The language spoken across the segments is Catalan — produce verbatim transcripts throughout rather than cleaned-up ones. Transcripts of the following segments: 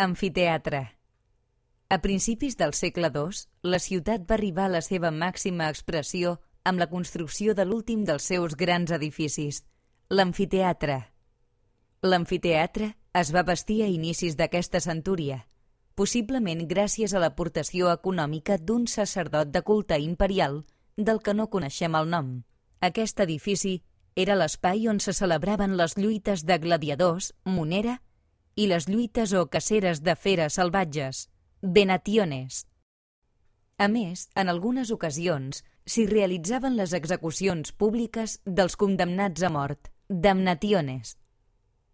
Amfiteatre. A principis del segle dos, la ciutat va arribar a la seva màxima expressió amb la construcció de l'últim dels seus grans edificis, l'amfiteatre. L'amfiteatre es va bastir a inicis d'aquesta centúria, possiblement gràcies a l'aportació econòmica d'un sacerdot de culte imperial del que no coneixem el nom. Aquest edifici era l'espai on se celebraven les lluites de gladiadors, monera, i les lluites o caceres de feres salvatges, venationes. A més, en algunes ocasions, s'hi realitzaven les execucions públiques dels condemnats a mort, damnationes.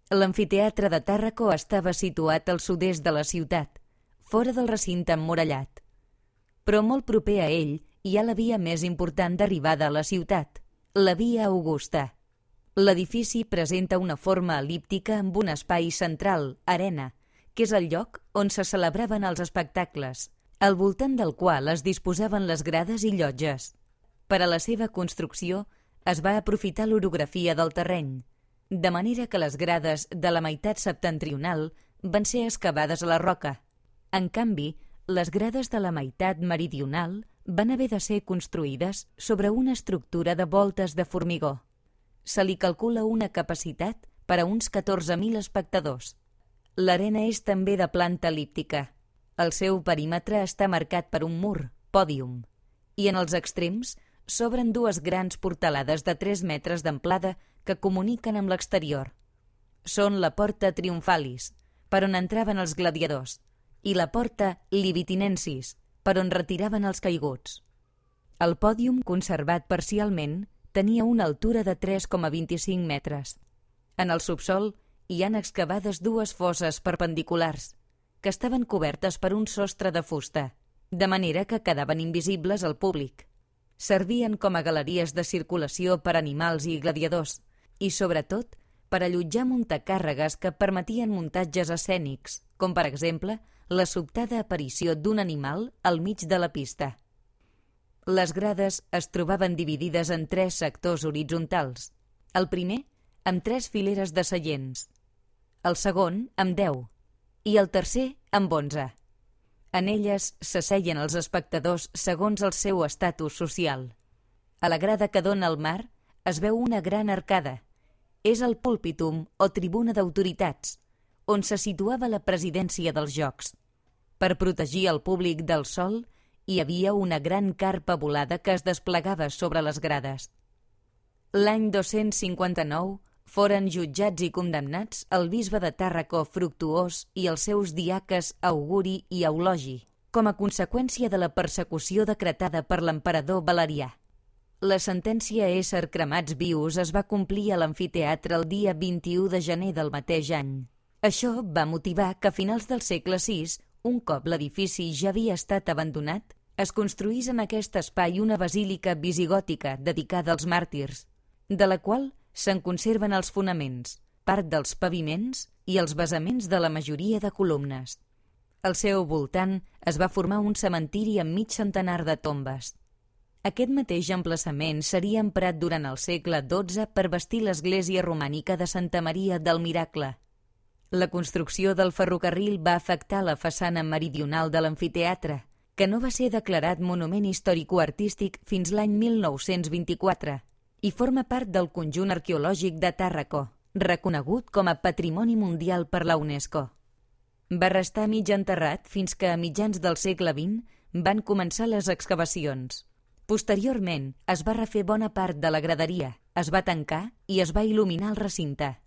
L'amfiteatre de Tàrraco estava situat al sud-est de la ciutat, fora del recinte emmurallat. Però molt proper a ell hi ha la via més important d'arribada a la ciutat, la via Augusta. L'edifici presenta una forma el·líptica amb un espai central, arena, que és el lloc on se celebraven els espectacles, al voltant del qual es disposaven les grades i llotges. Per a la seva construcció es va aprofitar l'orografia del terreny, de manera que les grades de la meitat septentrional van ser excavades a la roca. En canvi, les grades de la meitat meridional van haver de ser construïdes sobre una estructura de voltes de formigó. Se li calcula una capacitat per a uns catorze mil espectadors. L'arena és també de planta el·líptica. El seu perímetre està marcat per un mur, pòdium, i en els extrems s'obren dues grans portalades de tres metres d'amplada que comuniquen amb l'exterior. Són la Porta Triumphalis, per on entraven els gladiadors, i la Porta Libitinensis, per on retiraven els caiguts. El pòdium, conservat parcialment, tenia una altura de tres coma vint-i-cinc metres. En el subsòl hi han excavades dues fosses perpendiculars, que estaven cobertes per un sostre de fusta, de manera que quedaven invisibles al públic. Servien com a galeries de circulació per animals i gladiadors, i sobretot per allotjar muntacàrregues que permetien muntatges escènics, com per exemple la sobtada aparició d'un animal al mig de la pista. Les grades es trobaven dividides en tres sectors horitzontals. El primer, amb tres fileres de seients. El segon, amb deu. I el tercer, amb onze. En elles s'asseien els espectadors segons el seu estatus social. A la grada que dóna al mar es veu una gran arcada. És el púlpitum o tribuna d'autoritats, on se situava la presidència dels jocs. Per protegir el públic del sol, hi havia una gran carpa volada que es desplegava sobre les grades. L'any dos-cents cinquanta-nou foren jutjats i condemnats el bisbe de Tàrraco Fructuós i els seus diaques Auguri i Eulogi, com a conseqüència de la persecució decretada per l'emperador Valerià. La sentència a ésser cremats vius es va complir a l'amfiteatre el dia vint-i-u de gener del mateix any. Això va motivar que a finals del segle sis, un cop l'edifici ja havia estat abandonat, es construís en aquest espai una basílica visigòtica dedicada als màrtirs, de la qual se'n conserven els fonaments, part dels paviments i els basaments de la majoria de columnes. Al seu voltant es va formar un cementiri amb mig centenar de tombes. Aquest mateix emplaçament seria emprat durant el segle dotze per bastir l'església romànica de Santa Maria del Miracle. La construcció del ferrocarril va afectar la façana meridional de l'amfiteatre, que no va ser declarat monument històrico-artístic fins l'any mil nou-cents vint-i-quatre i forma part del conjunt arqueològic de Tàrraco, reconegut com a Patrimoni Mundial per la UNESCO. Va restar mig enterrat fins que a mitjans del segle vint van començar les excavacions. Posteriorment es va refer bona part de la graderia, es va tancar i es va il·luminar el recinte.